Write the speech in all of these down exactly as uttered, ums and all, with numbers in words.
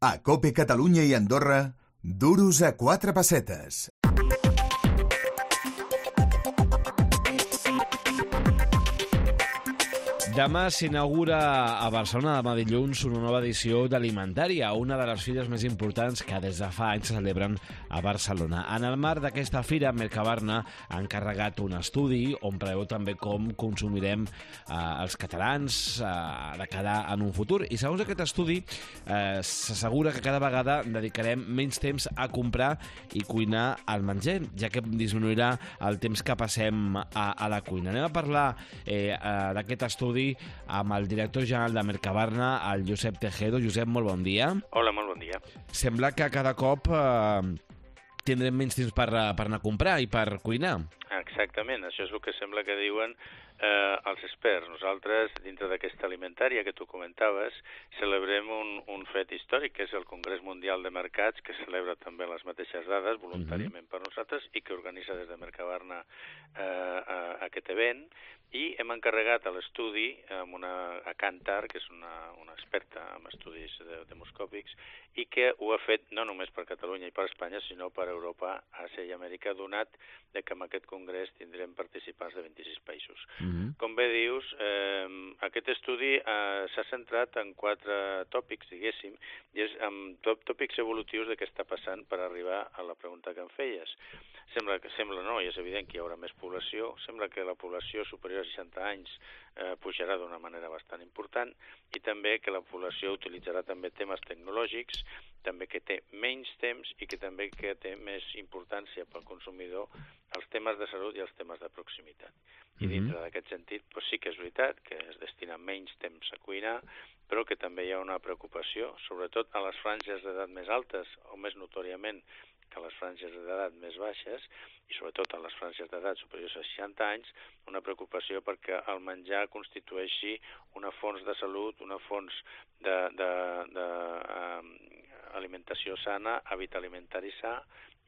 A COPE Catalunya i Andorra, duros a quatre pessetes. Demà s'inaugura a Barcelona, demà dilluns, una nova edició d'Alimentària, una de les fires més importants que des de fa anys se celebren a Barcelona. En el marc d'aquesta fira, Mercabarna ha encarregat un estudi on preveu també com consumirem eh, els catalans eh, de cara en un futur. I segons aquest estudi, eh, s'assegura que cada vegada dedicarem menys temps a comprar i cuinar el menjar, ja que disminuirà el temps que passem a, a la cuina. Anem a parlar eh, eh, d'aquest estudi amb el director general de Mercabarna, el Josep Tejedo. Josep, molt bon dia. Hola, molt bon dia. Sembla que cada cop eh, tindrem menys temps per, per anar a comprar i per cuinar. Exactament, això és el que sembla que diuen eh, els experts. Nosaltres, dintre d'aquesta alimentària que tu comentaves, celebrem un, un fet històric, que és el Congrés Mundial de Mercats, que celebra també les mateixes dades, voluntàriament uh-huh. per nosaltres, i que organitza des de Mercabarna eh, aquest event, i hem encarregat a l'estudi amb una, a Kantar, que és una, una experta en estudis de, demoscòpics, i que ho ha fet no només per Catalunya i per Espanya, sinó per Europa, Àsia i Amèrica, donat de que en aquest congrés tindrem participants de vint-i-sis països. Mm-hmm. Com bé dius, eh, aquest estudi eh, s'ha centrat en quatre tòpics, diguéssim, i és amb tòpics evolutius de què està passant per arribar a la pregunta que em feies. Sembla, que, sembla no, i és evident que hi haurà més població, sembla que la població superior a seixanta anys eh, pujarà d'una manera bastant important i també que la població utilitzarà també temes tecnològics, també que té menys temps i que també que té més importància pel consumidor els temes de salut i els temes de proximitat. I dintre d'aquest sentit, doncs sí que és veritat que es destina menys temps a cuinar, però que també hi ha una preocupació, sobretot a les franges d'edat més altes o més notòriament que a les franges d'edat més baixes, i sobretot a les franges d'edat superiors a seixanta anys, una preocupació perquè el menjar constitueixi una font de salut, una font d'alimentació sana, hàbit alimentari sa,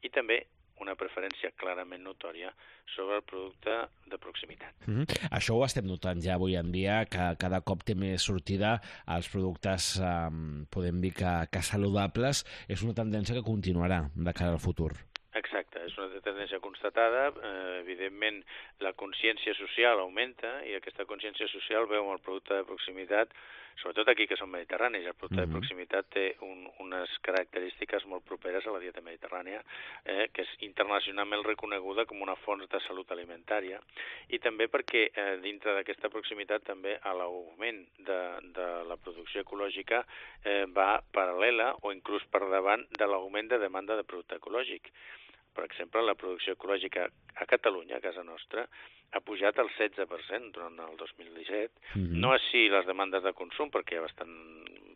i també una preferència clarament notòria sobre el producte de proximitat. Mm-hmm. Això ho estem notant ja avui en dia, que cada cop té més sortida als productes, eh, podem dir que, que saludables. És una tendència que continuarà de cara al futur. Exacte, és una tendència constatada. Eh, evidentment, la consciència social augmenta i aquesta consciència social veu el producte de proximitat, sobretot aquí que som mediterranis. El producte mm-hmm. de proximitat té un, unes característiques molt properes a la dieta mediterrània, eh, que és internacionalment reconeguda com una font de salut alimentària, i també perquè eh, dintre d'aquesta proximitat també a l'augment de, de la producció ecològica eh, va paral·lela o inclús per davant de l'augment de demanda de producte ecològic. Per exemple, la producció ecològica a Catalunya, a casa nostra, ha pujat al setze per cent durant el dos mil disset. Mm-hmm. No així les demandes de consum, perquè hi ha bastant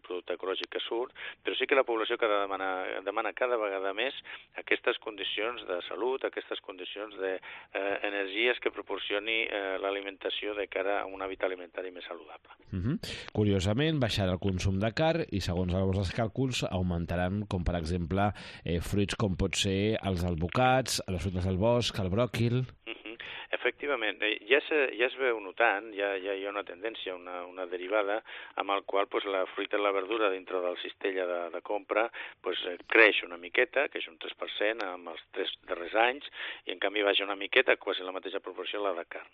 producte ecològic que surt, però sí que la població cada demana, demana cada vegada més aquestes condicions de salut, aquestes condicions d'energies eh, que proporcioni eh, l'alimentació de cara a un hàbit alimentari més saludable. Mm-hmm. Curiosament, baixarà el consum de carn i, segons els càlculs, augmentaran, com per exemple, eh, fruits com pot ser els albocats, les fruites del bosc, el bròquil... Mm-hmm. Efectivament, ja, se, ja es veu notant, ja, ja hi ha una tendència, una, una derivada, amb el qual pues, la fruita i la verdura dintre del cistella de, de compra pues, creix una miqueta, que és un tres per cent amb els tres darrers anys, i en canvi baixa una miqueta, quasi la mateixa proporció la de carn.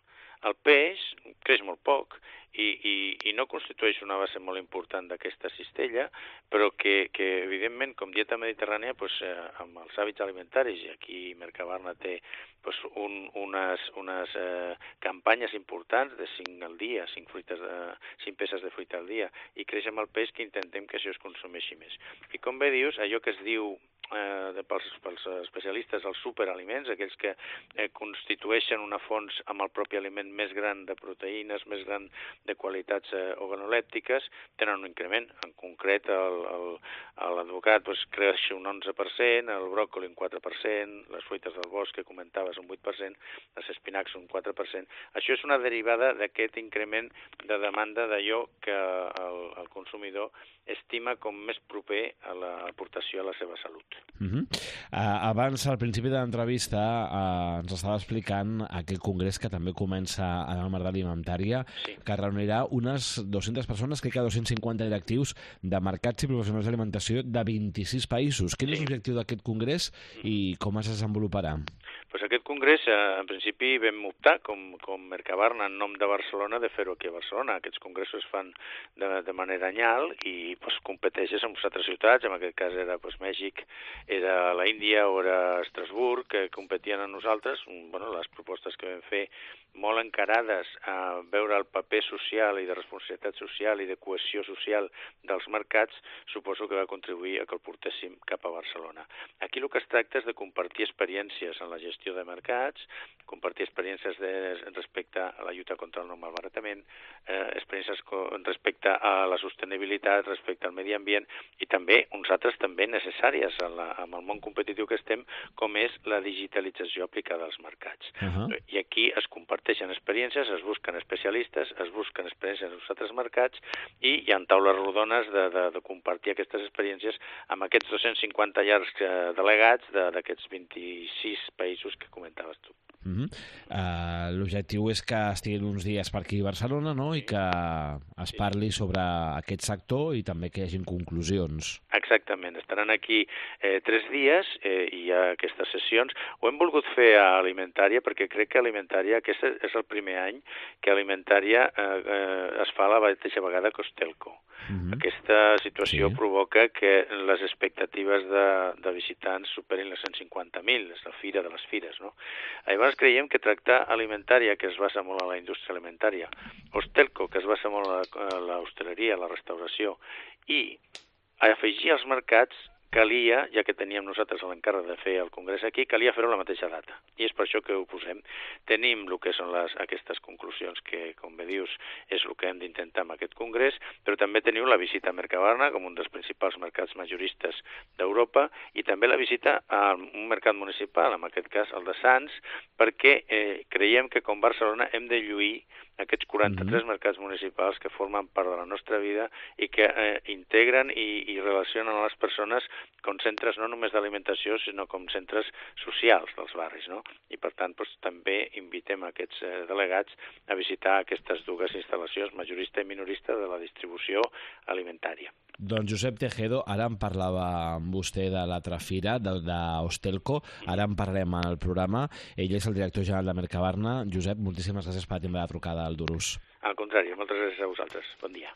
El peix creix molt poc i, i, i no constitueix una base molt important d'aquesta cistella, però que, que evidentment, com dieta mediterrània, pues, eh, amb els hàbits alimentaris, i aquí Mercabarna té pues, un, unes, unes eh, campanyes importants de cinc al dia, cinc, fruites de, cinc peces de fruita al dia, i creix amb el peix que intentem que això es consumeixi més. I com bé dius, allò que es diu eh, de, pels, pels especialistes els superaliments, aquells que eh, constitueixen una font amb el propi aliment més gran de proteïnes, més gran de qualitats eh, organolèptiques, tenen un increment. En concret, l'advocat pues, creix un onze per cent, el bròcoli un quatre per cent, les fruites del bosc que comentaves un vuit per cent, les espinacs un quatre per cent. Això és una derivada d'aquest increment de demanda d'allò que el, el consumidor estima com més proper a l'aportació a la seva salut. Uh -huh. uh, abans, al principi de l'entrevista, uh, ens estava explicant aquell congrés que també comença en el marc d'alimentària, Sí. que reunirà unes dues-centes persones, crec que dos-cents cinquanta directius de mercats i professionals d'alimentació de vint-i-sis països. Quin Sí. és l'objectiu d'aquest congrés i com es desenvoluparà? Pues aquest congrés, eh, en principi, vam optar, com, com Mercabarna, en nom de Barcelona, de fer-ho aquí a Barcelona. Aquests congressos es fan de, de manera anyal i pues, competeixes amb altres ciutats, en aquest cas era pues, Mèxic, era la Índia o era Estrasburg, que competien amb nosaltres. Bueno, les propostes que vam fer molt encarades a veure el paper social i de responsabilitat social i de cohesió social dels mercats, suposo que va contribuir a que el portéssim cap a Barcelona. Aquí el que es tracta és de compartir experiències en la gestió de mercats, compartir experiències de, respecte a la lluita contra el no malbaratament, eh, experiències respecte a la sostenibilitat, respecte al medi ambient i també uns altres també necessàries en, la, en el món competitiu que estem, com és la digitalització aplicada als mercats. Uh -huh. I aquí es comparteixen experiències, es busquen especialistes, es busquen experiències als altres mercats i hi ha taules rodones de, de, de compartir aquestes experiències amb aquests dos-cents cinquanta llargs eh, delegats d'aquests vint-i-sis països que comentaves tu. Uh -huh. uh, L'objectiu és que estiguin uns dies per aquí a Barcelona, no?, i que es parli sobre aquest sector i també que hi hagin conclusions. Exactament, estaran aquí eh, tres dies eh, i hi ha aquestes sessions. Ho hem volgut fer a Alimentària perquè crec que Alimentària, aquest és el primer any que Alimentària eh, eh, es fa la mateixa vegada que Ostelco. Uh -huh. Aquesta situació sí. provoca que les expectatives de, de visitants superin les cent cinquanta mil, és la fira de les fires, no? Llavors creiem que tractar Alimentària, que es basa molt en la indústria alimentària, Ostelco, que es basa molt en l'hostaleria, la restauració, i afegir als mercats calia, ja que teníem nosaltres l'encàrrec de fer el congrés aquí, calia fer-ho a la mateixa data. I és per això que ho posem. Tenim el que són les, aquestes conclusions que, com bé dius, és el que hem d'intentar amb aquest congrés, però també teniu la visita a Mercabarna, com un dels principals mercats majoristes d'Europa, i també la visita a un mercat municipal, en aquest cas el de Sants, perquè eh, creiem que com Barcelona hem de lluir aquests quaranta-tres mm-hmm. mercats municipals que formen part de la nostra vida i que eh, integren i, i relacionen a les persones com centres no només d'alimentació, sinó com centres socials dels barris, no? I per tant, doncs, també invitem aquests eh, delegats a visitar aquestes dues instal·lacions, majorista i minorista, de la distribució alimentària. Doncs Josep Tejedo, ara en parlava amb vostè de l'altra fira, d'Ostelco, ara en parlem al programa. Ell és el director general de Mercabarna. Josep, moltíssimes gràcies per atendre la trucada al Durús. Al contrari, moltes gràcies a vosaltres. Bon dia.